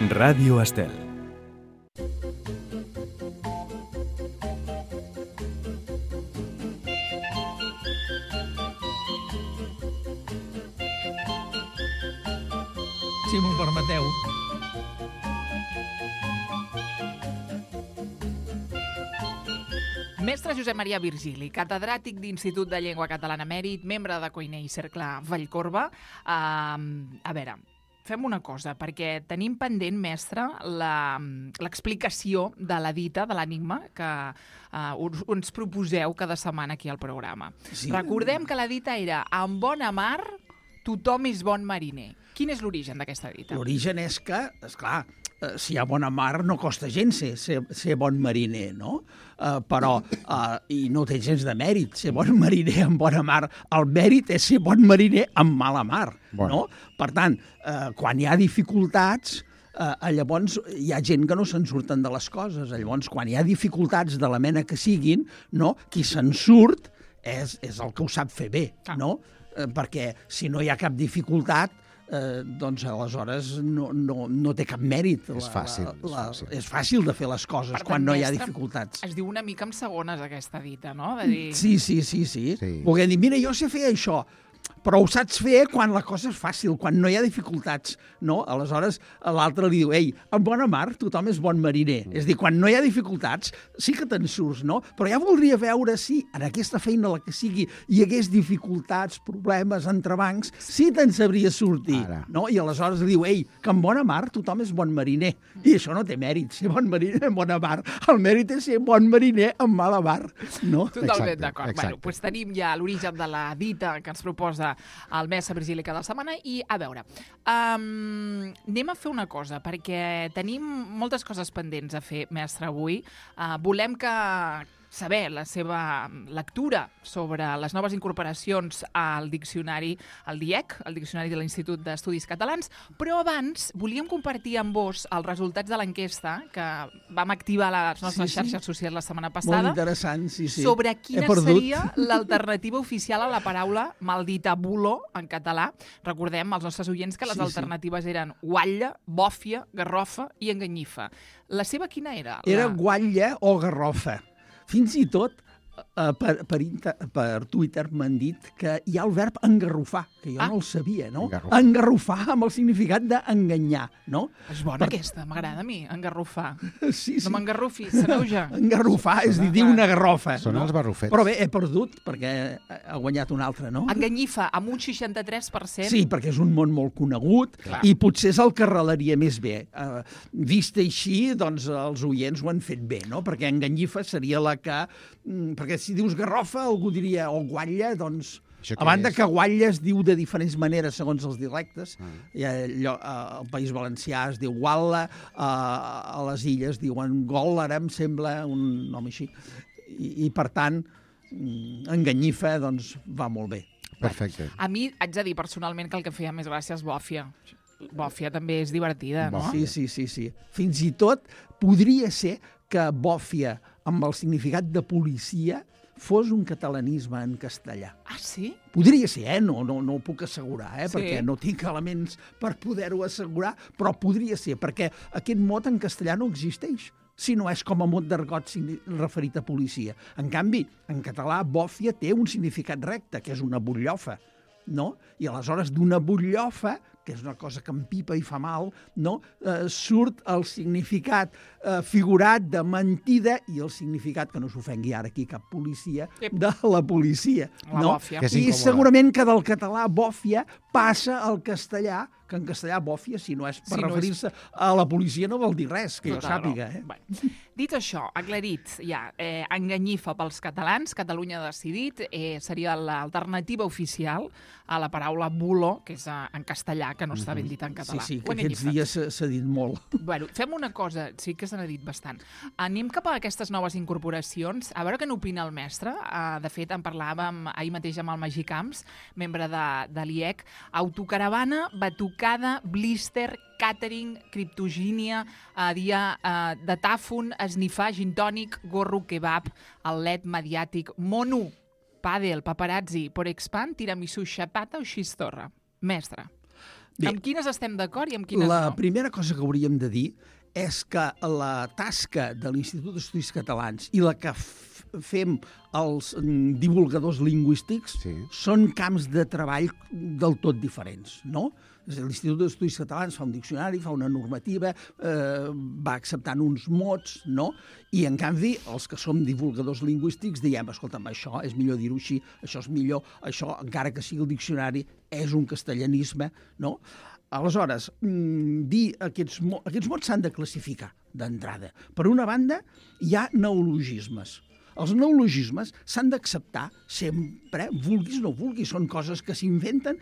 Ràdio Estel. Si m'ho permeteu. Mestre Josep Maria Virgili, catedràtic d'Institut de Llengua Catalana Mèrit, membre de Coiner i Cercle Vallcorba. A veure, fem una cosa, perquè tenim pendent, mestre, l'explicació de la dita, de l'enigma, que ens proposeu cada setmana aquí al programa. Sí. Recordem que la dita era «En bona mar, tothom és bon mariner». Quin és l'origen d'aquesta dita? L'origen és que, esclar, si hi ha bona mar no costa gens ser bon mariner, no? Però, i no té gens de mèrit, ser bon mariner en bona mar. El mèrit és ser bon mariner en mala mar, no? Per tant, quan hi ha dificultats, llavors hi ha gent que no se'n surten de les coses. Llavors, quan hi ha dificultats de la mena que siguin, no? Qui se'n surt és el que ho sap fer bé, no? Perquè si no hi ha cap dificultat, doncs aleshores no té cap mèrit. És fàcil. És fàcil de fer les coses quan no hi ha dificultats. Es diu una mica en segones aquesta dita, no? De dir... Sí. Poder dir, mira, jo sé fer això, però ho saps fer quan la cosa és fàcil, quan no hi ha dificultats, no? Aleshores, l'altre li diu, ei, en bona mar tothom és bon mariner. És a dir, quan no hi ha dificultats, sí que te'n surts, no? Però ja voldria veure si en aquesta feina, la que sigui, hi hagués dificultats, problemes, entrebancs, sí te'n sabria sortir, no? I aleshores li diu, ei, que en bona mar tothom és bon mariner. I això no té mèrit, ser bon mariner en bona mar. El mèrit és ser bon mariner en mala mar, no? Totalment d'acord. Bueno, doncs tenim ja l'origen de la dita que ens proposa el mestre Virgili cada setmana i, a veure, anem a fer una cosa, perquè tenim moltes coses pendents a fer, mestre, avui. Volem saber la seva lectura sobre les noves incorporacions al diccionari, al DIEC, el Diccionari de l'Institut d'Estudis Catalans, però abans volíem compartir amb vos els resultats de l'enquesta que vam activar a les nostres xarxes socials la setmana passada. Molt interessant, sí. Sobre quina seria l'alternativa oficial a la paraula maldita bulo en català. Recordem als nostres oients que les alternatives eren guatlla, bòfia, garrofa i enganyifa. La seva quina era? Era guatlla o garrofa. Fins i tot per Twitter m'han dit que hi ha el verb engarrofar, que jo no el sabia, no? Engarrofar amb el significat d'enganyar, no? És bona aquesta, m'agrada a mi, engarrofar. Sí. No m'engarrofi, s'aneuja. Engarrofar és dir una garrofa. Són els barrufets. Però bé, he perdut perquè ha guanyat un altre, no? Enganyifa, amb un 63%. Sí, perquè és un món molt conegut i potser és el que arrelaria més bé. Vist així, doncs els oients ho han fet bé, no? Perquè enganyifa seria la que... Perquè si dius garrofa, algú diria, o guatlla, doncs... A banda que guatlla es diu de diferents maneres segons els dialectes. Al País Valencià es diu gualla, a les Illes diuen gòllara, em sembla, un nom així. I per tant, enganyifa, doncs, va molt bé. Perfecte. A mi haig de dir personalment que el que feia més gràcia és bòfia. Bòfia també és divertida, no? Sí. Fins i tot podria ser que bòfia, amb el significat de policia, fos un catalanisme en castellà. Ah, sí? Podria ser, no ho puc assegurar, perquè no tinc elements per poder-ho assegurar, però podria ser, perquè aquest mot en castellà no existeix, si no és com a mot d'argot referit a policia. En canvi, en català, bòfia té un significat recte, que és una butllofa, no? I aleshores d'una butllofa, que és una cosa que empipa i fa mal, no? Surt el significat figurat de mentida i el significat, que no s'ofengui ara aquí cap policia, de la policia. La bòfia. I segurament que del català bòfia passa al castellà, que en castellà bòfia, si no és per referir-se a la policia, no vol dir res, que jo sàpiga. Dit això, aclarit, ja, enganyifa pels catalans, Catalunya ha decidit, seria l'alternativa oficial a la paraula bulo, que és en castellà, que no està ben dit en català. Sí, que aquests dies s'ha dit molt. Bueno, fem una cosa, sí que se n'ha dit bastant. Anem cap a aquestes noves incorporacions, a veure què n'opina el mestre. De fet, en parlàvem ahir mateix amb el Magí Camps, membre de l'IEC. Autocaravana, batucada, blister, càtering, criptogínia, dia de tàfon, esnifar, gin tònic, gorro, kebab, el led mediàtic, mono, pàdel, paparazzi, por expand, tiramisú, xapata o xistorra. Mestre. Amb quines estem d'acord i amb quines La no? primera cosa que hauríem de dir és que la tasca de l'Institut d'Estudis Catalans i la que fem els divulgadors lingüístics són camps de treball del tot diferents, no? L'Institut d'Estudis Catalans fa un diccionari, fa una normativa, va acceptant uns mots, no? I, en canvi, els que som divulgadors lingüístics diem, escolta'm, això és millor dir-ho així, això és millor, això, encara que sigui el diccionari, és un castellanisme, no? Aleshores, dir aquests mots s'han de classificar d'entrada. Per una banda, hi ha neologismes. Els neologismes s'han d'acceptar sempre, vulguis o no vulguis, són coses que s'inventen.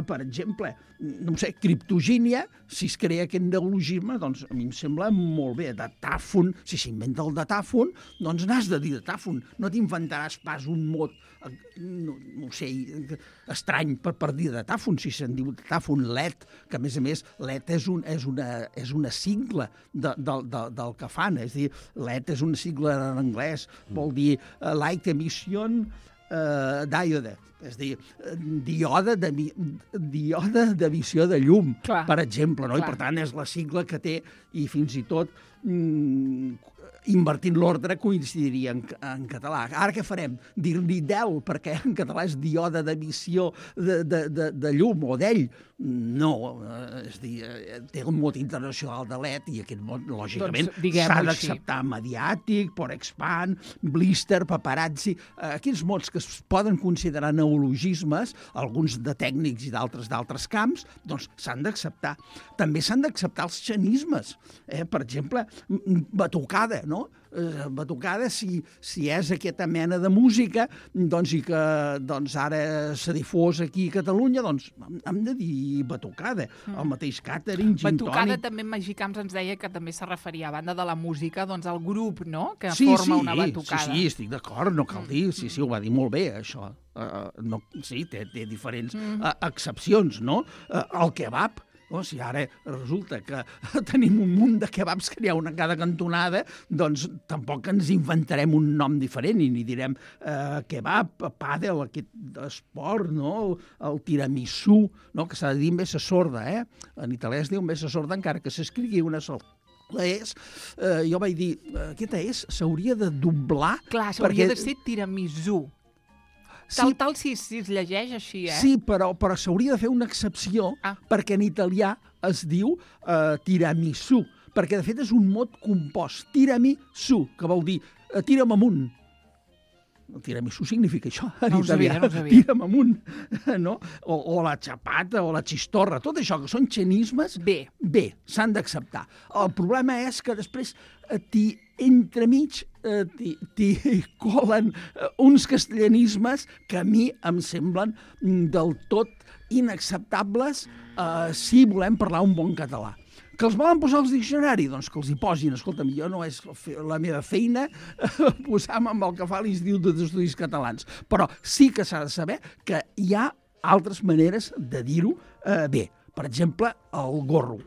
Per exemple, no sé, criptogínia, si es crea aquest neologisme, doncs a mi em sembla molt bé. Datàfon, si s'inventa el datàfon, doncs n'has de dir datàfon. No t'inventaràs pas un mot, no sé, estrany per dir datàfon, si se'n diu datàfon, LED, que a més LED és una sigla del que fan, és a dir, LED és una sigla en anglès, vol dir light emission diode, és a dir, diode d'emissió de llum, per exemple, no? I per tant és la sigla que té, i fins i tot invertint l'ordre coincidiria en català. Ara què farem? Dir-li DEL, perquè en català és diode d'emissió de llum o d'ell? No, és a dir, té un mot internacional de LED i aquest mot, lògicament, s'ha d'acceptar mediàtic, por expand, blister, paparazzi, aquests mots que es poden considerar neologismes, alguns de tècnics i d'altres camps, doncs s'han d'acceptar. També s'han d'acceptar els xenismes. Per exemple, batucada, no? Batucada, si és aquesta mena de música, doncs, i que ara s'ha difós aquí a Catalunya, doncs hem de dir batucada. El mateix catering, gin tònic. Batucada també en Magí Camps ens deia que també se referia, a banda de la música, doncs al grup, no?, que forma una batucada. Sí, estic d'acord, no cal dir, sí, ho va dir molt bé, això. Sí, té diferents excepcions, no? El kebab, si ara resulta que tenim un munt de kebabs que n'hi ha una a cada cantonada, doncs tampoc ens inventarem un nom diferent i ni direm kebab, pàdel, aquest esport, no? El tiramisú, no? Que s'ha de dir mesa sorda, En italià es diu mesa sorda encara que s'escrigui una sola. Jo vaig dir, aquesta s'hauria de doblar. Clar, s'hauria de ser tiramisú. Tal si es llegeix així, Sí, però s'hauria de fer una excepció perquè en italià es diu tiramisú, perquè de fet és un mot compost, tiramisú, que vol dir tira'm amunt. El tiramisú significa això, en italià. No ho sabia. Tira'm amunt, no? O la xapata, o la xistorra, tot això que són xenismes, bé, s'han d'acceptar. El problema és que després entremig t'hi colen uns castellanismes que a mi em semblen del tot inacceptables si volem parlar un bon català. Que els volen posar als diccionaris? Doncs que els hi posin. Escolta'm, jo no és la meva feina posar-me amb el que fa l'Institut d'Estudis Catalans. Però sí que s'ha de saber que hi ha altres maneres de dir-ho bé. Per exemple, el gorro.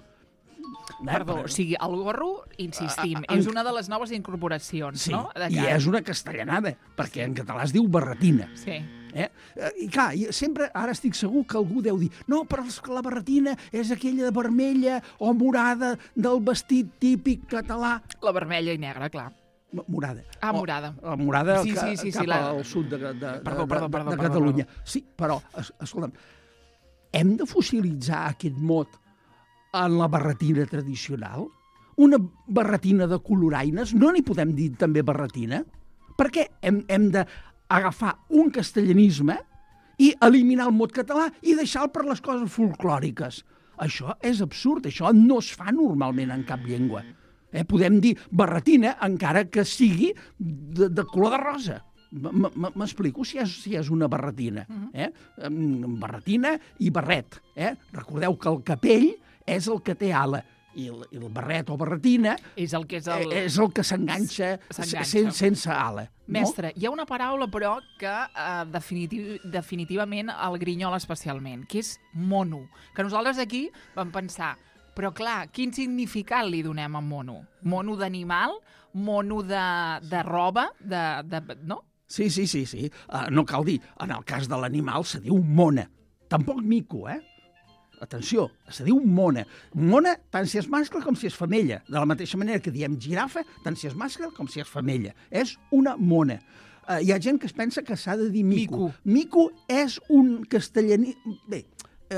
Perdó, o sigui, el gorro, insistim, és una de les noves incorporacions, no? Sí, i és una castellanada, perquè en català es diu barretina. Sí. I clar, sempre, ara estic segur que algú deu dir no, però la barretina és aquella vermella o morada del vestit típic català. La vermella i negra, clar. Morada. Morada. La morada sí, cap al sud de Catalunya. Perdó. Sí, però, escolta'm, hem de fossilitzar aquest mot en la barretina tradicional? Una barretina de coloraines, no n'hi podem dir també barretina? Per què hem d'agafar un castellanisme i eliminar el mot català i deixar-lo per les coses folclòriques? Això és absurd, això no es fa normalment en cap llengua. Podem dir barretina encara que sigui de color de rosa. M'explico si és una barretina. Barretina i barret. Recordeu que el capell és el que té ala i el barret o barretina és el que s'enganxa sense ala. Mestre, hi ha una paraula, però, que definitivament el grinyola especialment, que és mono, que nosaltres aquí vam pensar, però clar, quin significat li donem a mono? Mono d'animal? Mono de roba? No? Sí. No cal dir, en el cas de l'animal se diu mona. Tampoc mico, atenció, se diu mona. Mona tant si és mascle com si és femella. De la mateixa manera que diem girafa, tant si és mascle com si és femella. És una mona. Hi ha gent que es pensa que s'ha de dir mico. Mico és un castellaní... Bé,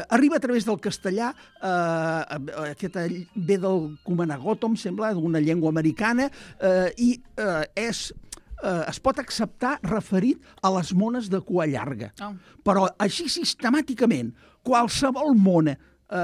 arriba a través del castellà, ve del comanagòtom, sembla, d'una llengua americana, i es pot acceptar referit a les mones de cua llarga. Però així sistemàticament, qualsevol mona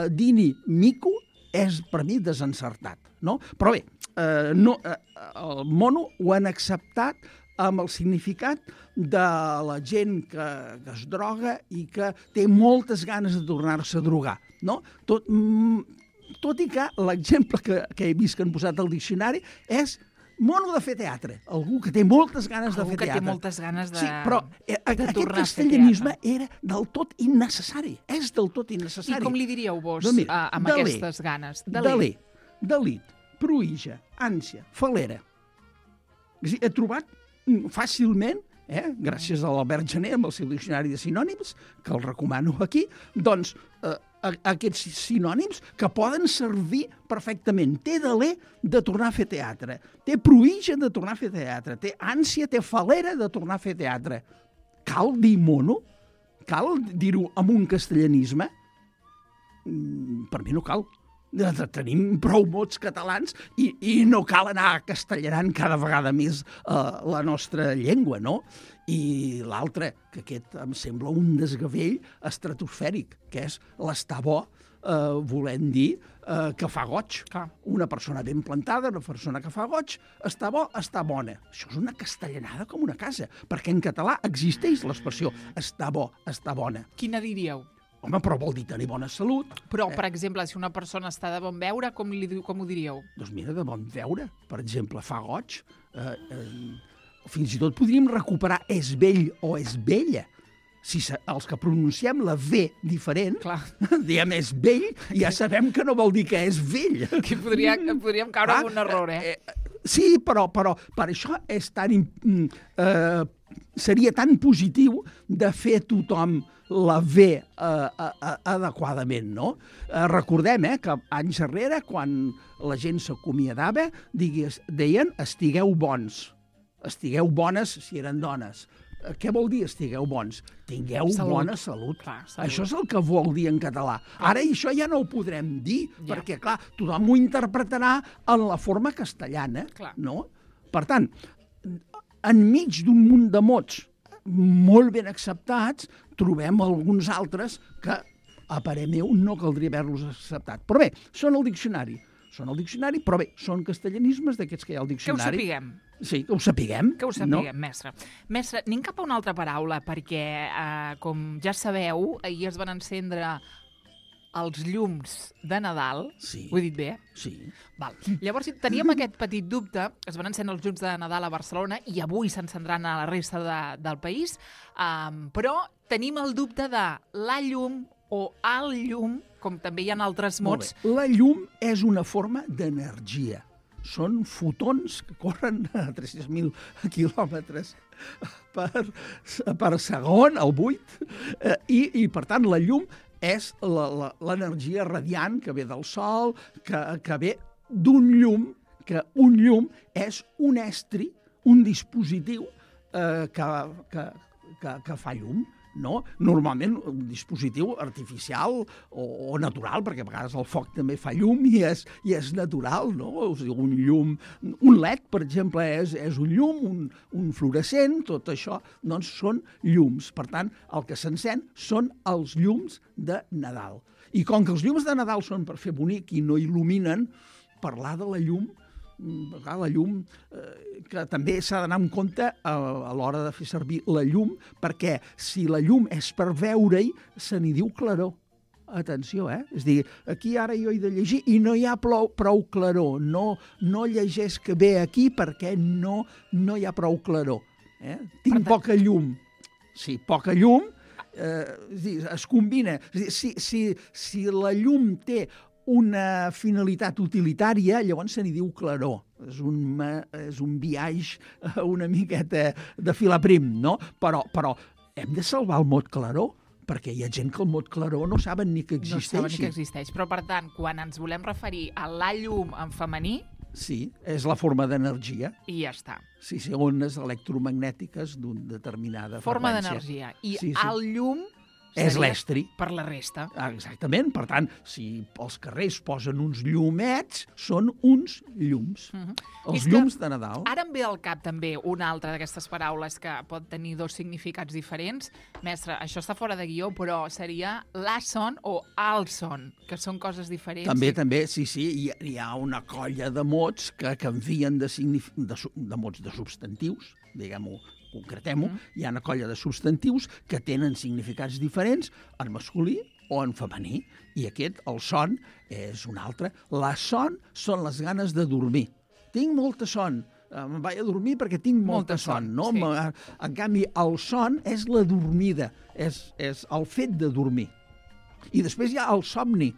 dini mico és per mi desencertat. No? Però bé, el mono ho han acceptat amb el significat de la gent que es droga i que té moltes ganes de tornar-se a drogar. No? Tot i que l'exemple que he vist que han posat al diccionari és mono de fer teatre. Algú que té moltes ganes de fer teatre. Algú que té moltes ganes de Sí, però aquest castellanisme era del tot innecessari. És del tot innecessari. I com li diríeu vos amb aquestes ganes? Deler, delit, pruïja, ànsia, falera. He trobat fàcilment, gràcies a l'Albert Gené amb el seu diccionari de sinònims, que el recomano aquí, doncs aquests sinònims que poden servir perfectament. Té deler de tornar a fer teatre, té pruïja de tornar a fer teatre, té ànsia, té falera de tornar a fer teatre. Cal dir mono? Cal dir-ho amb un castellanisme? Per mi no cal. Tenim prou mots catalans i no cal anar castellanant cada vegada més la nostra llengua, no? I l'altre, que aquest em sembla un desgavell estratosfèric, que és l'estar bo, volent dir que fa goig. Una persona ben plantada, una persona que fa goig, està bo, està bona. Això és una castellanada com una casa, perquè en català existeix l'expressió està bo, està bona. Quina diríeu? Home, però vol dir tenir bona salut. Però, per exemple, si una persona està de bon veure, com ho diríeu? Doncs mira, de bon veure. Per exemple, fa goig. Fins i tot podríem recuperar és vell o és vella. Si els que pronunciem la V diferent, diem és vell, ja sabem que no vol dir que és vell. Que podríem caure en un error, Sí, però per això és seria tan positiu de fer tothom la V adequadament, no? Recordem que anys enrere, quan la gent s'acomiadava, deien estigueu bons, estigueu bones si eren dones. Què vol dir estigueu bons? Tingueu bona salut. Això és el que vol dir en català. Ara això ja no ho podrem dir, perquè, clar, tothom ho interpretarà en la forma castellana, no? Per tant, enmig d'un munt de mots molt ben acceptats, trobem alguns altres que, a parer meu, no caldria haver-los acceptat. Però bé, són al diccionari. Però bé, són castellanismes d'aquests que hi ha al diccionari. Que ho sapiguem. Sí, que ho sapiguem. Que ho sapiguem, mestre. Mestre, anem cap a una altra paraula, perquè, com ja sabeu, ahir es van encendre els llums de Nadal. Sí. Ho he dit bé? Sí. Val. Llavors, teníem aquest petit dubte. Es van encendre els llums de Nadal a Barcelona i avui s'encendran a la resta del país, però tenim el dubte de la llum o el llum, com també hi ha altres mots. La llum és una forma d'energia. Són fotons que corren a 300.000 quilòmetres per segon, al buit, i per tant la llum és l'energia radiant que ve del sol, que ve d'un llum, que un llum és un estri, un dispositiu que fa llum. No? Normalment un dispositiu artificial o natural, perquè a vegades el foc també fa llum i és natural, no? O sigui, un llum, un LED, per exemple, és un llum, un fluorescent, tot això, doncs són llums. Per tant, el que s'encén són els llums de Nadal. I com que els llums de Nadal són per fer bonic i no il·luminen, parlar de la llum, que també s'ha d'anar en compte a l'hora de fer servir la llum, perquè si la llum és per veure-hi, se n'hi diu claror. Atenció, És a dir, aquí ara jo he de llegir i no hi ha prou claror. No llegeix que ve aquí perquè no hi ha prou claror. Tinc poca llum. Sí, poca llum, es combina. Si la llum té una finalitat utilitària, llavors se n'hi diu claror. És un biaix una miqueta de fil a prim, no? Però hem de salvar el mot claror, perquè hi ha gent que el mot claror no saben ni que existeixi. No saben ni que existeix. Però, per tant, quan ens volem referir a la llum en femení... Sí, és la forma d'energia. I ja està. Sí, ones electromagnètiques d'una determinada forma freqüència. D'energia. I el llum... És l'estri. Per la resta. Exactament. Per tant, si als carrers posen uns llumets, són uns llums. Els llums de Nadal. Ara em ve al cap també una altra d'aquestes paraules que pot tenir dos significats diferents. Mestre, això està fora de guió, però seria la son o el son, que són coses diferents. També, sí. Hi ha una colla de mots que canvien de mots de substantius, diguem-ho, concretem-ho, hi ha una colla de substantius que tenen significats diferents en masculí o en femení. I aquest, el son, és un altre. La son són les ganes de dormir. Tinc molta son, me'n vaig a dormir perquè tinc molta son. No? Sí. En canvi, el son és la dormida, és el fet de dormir. I després hi ha el somni,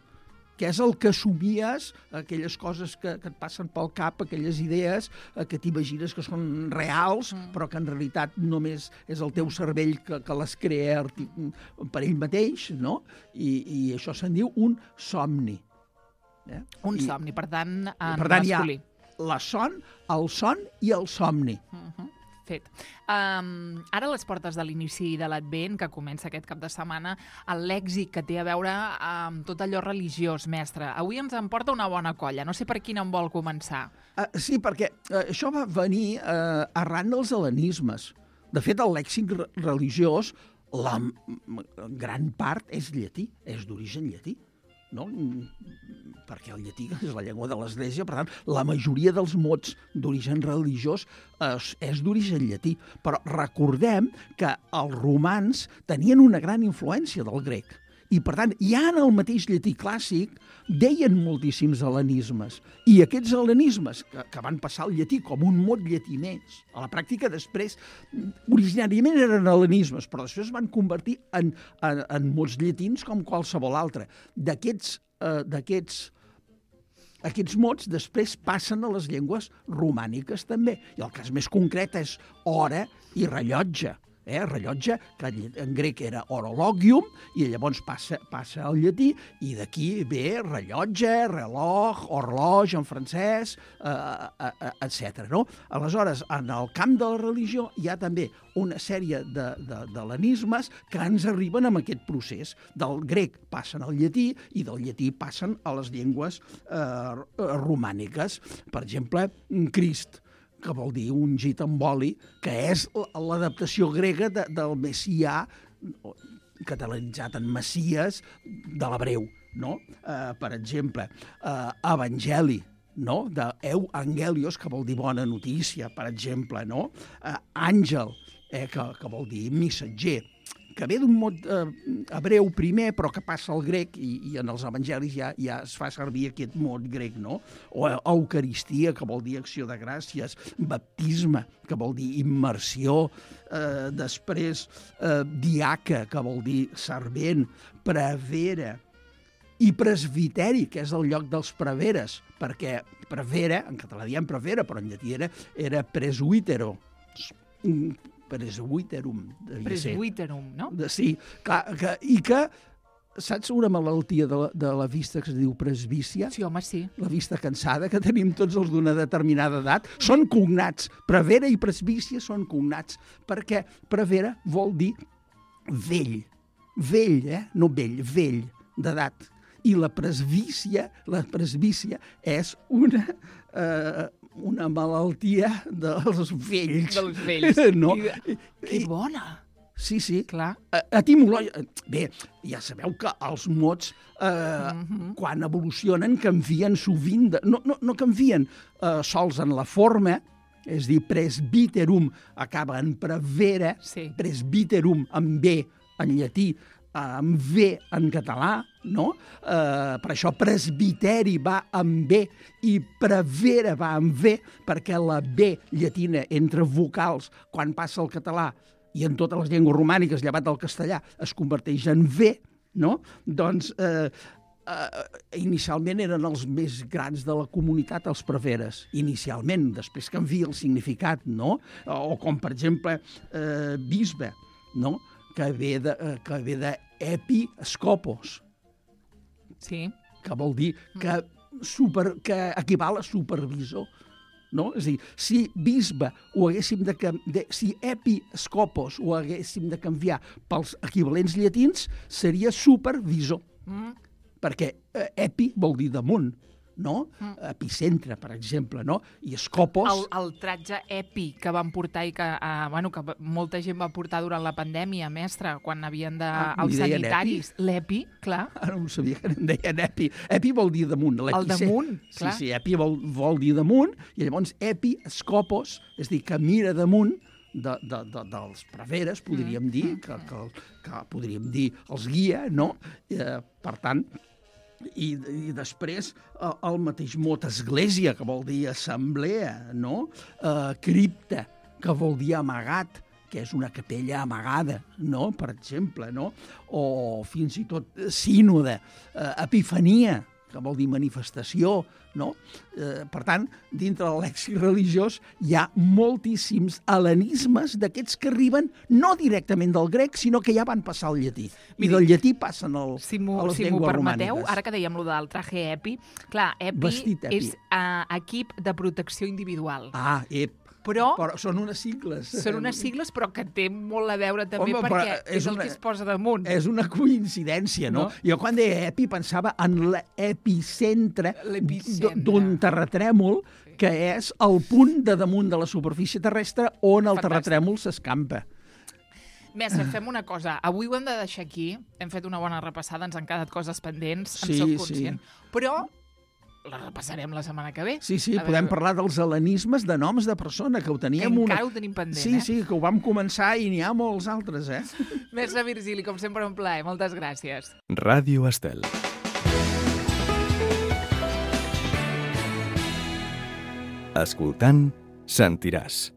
que és el que somies, aquelles coses que et passen pel cap, aquelles idees que t'imagines que són reals, però que en realitat només és el teu cervell que les crea per ell mateix, no? I això se'n diu un somni. Un somni, per tant, en per tant, masculí. Hi ha el son i el somni. Fet. Ara a les portes de l'inici de l'Advent, que comença aquest cap de setmana, el lèxic que té a veure amb tot allò religiós, mestre. Avui ens en porta una bona colla. No sé per quina en vol començar. Sí, perquè això va venir arran dels hel·lenismes. De fet, el lèxic religiós, la gran part és llatí, és d'origen llatí. No? Perquè el llatí és la llengua de l'Església, per tant, la majoria dels mots d'origen religiós és d'origen llatí. Però recordem que els romans tenien una gran influència del grec. I, per tant, ja en el mateix llatí clàssic deien moltíssims hel·lenismes. I aquests hel·lenismes, que van passar al llatí com un mot llatí més, a la pràctica després, originàriament eren hel·lenismes, però després es van convertir en mots llatins com qualsevol altre. Aquests mots després passen a les llengües romàniques també. I el cas més concret és hora i rellotge. Rellotge, que en grec era orologium, i llavors passa al llatí, i d'aquí ve rellotge, reloj, horloge en francès, etc. No? Aleshores, en el camp de la religió hi ha també una sèrie d'hel·lenismes que ens arriben amb aquest procés. Del grec passen al llatí i del llatí passen a les llengües romàniques. Per exemple, Crist, que vol dir ungit amb oli, que és l'adaptació grega del messià, catalanitzat en Messies, de l'hebreu. No? Per exemple, evangeli, no? De angelios, que vol dir bona notícia, per exemple. No? Àngel, que vol dir missatger, que ve d'un mot hebreu primer, però que passa al grec, i en els evangelis ja es fa servir aquest mot grec, no? O eucaristia, que vol dir acció de gràcies, baptisme, que vol dir immersió, després diaca, que vol dir servent, prevera, i presbiteri, que és el lloc dels preveres, perquè prevera, en català diem prevera, però en llatí era presbítero, presbiterum. Presbiterum, no? Sí, i que saps una malaltia de la vista que es diu presbícia? Sí, home, sí. La vista cansada, que tenim tots els d'una determinada edat. Són cognats. Prevera i presbícia són cognats, perquè prevera vol dir vell. Vell, no vell, vell, d'edat. I la presbícia és una malaltia dels vells. Dels vells. No? Que bona! Sí. Clar. Bé, ja sabeu que els mots, quan evolucionen, canvien sovint. No canvien sols en la forma, és dir, presbiterum acaba en prevera, sí. Presbiterum amb B en llatí, amb V en català, no? Per això presbiteri va amb B i prevera va amb V, perquè la B llatina entre vocals, quan passa al català i en totes les llengües romàniques, llevat del castellà, es converteix en V, no? Doncs inicialment eren els més grans de la comunitat, els preveres, inicialment, després canvia el significat, no? O com, per exemple, bisbe, no? Que ve de episcopos, Sí. que vol dir que equival a supervisor. No? És a dir, si bisbe ho haguéssim si episcopos ho haguéssim de canviar pels equivalents llatins, seria supervisor. Perquè epi vol dir damunt, no? Epicentre, per exemple, no? I escopos... El tratge epi que van portar i que molta gent va portar durant la pandèmia, mestre, quan havien de... els sanitaris. L'epi, clar. Ara no sabia que en deien epi. Epi vol dir damunt. El damunt, clar. Sí, epi vol dir damunt, i llavors epi, escopos, és a dir, que mira damunt dels preveres, podríem dir, que podríem dir els guia, no? Per tant, i després el mateix mot església, que vol dir assemblea, no? Cripta, que vol dir amagat, que és una capella amagada, no? Per exemple, no? O fins i tot sínode, epifania, que vol dir manifestació, no? Per tant, dintre de lèxic religiós hi ha moltíssims hel·lenismes d'aquests que arriben no directament del grec, sinó que ja van passar al llatí. I del llatí passen a les llengües romàniques. Ara que dèiem lo del traje epi, clar, epi és equip de protecció individual. Però són unes sigles. Són unes sigles, però que té molt a veure també perquè és el que es posa damunt. És una coincidència, no? Jo quan deia epi pensava en l'epicentre d'un terratrèmol, que és el punt de damunt de la superfície terrestre on el terratrèmol s'escampa. Mestre, fem una cosa. Avui ho hem de deixar aquí. Hem fet una bona repassada, ens han quedat coses pendents, en soc conscient. Però la repassarem la setmana que ve. Sí, podem parlar dels hel·lenismes de noms de persona, que ho teníem... Encara ho tenim pendent, Sí, que ho vam començar i n'hi ha molts altres, Mestre Virgili, com sempre, un plaer. Moltes gràcies. Ràdio Estel. Escoltant, sentiràs.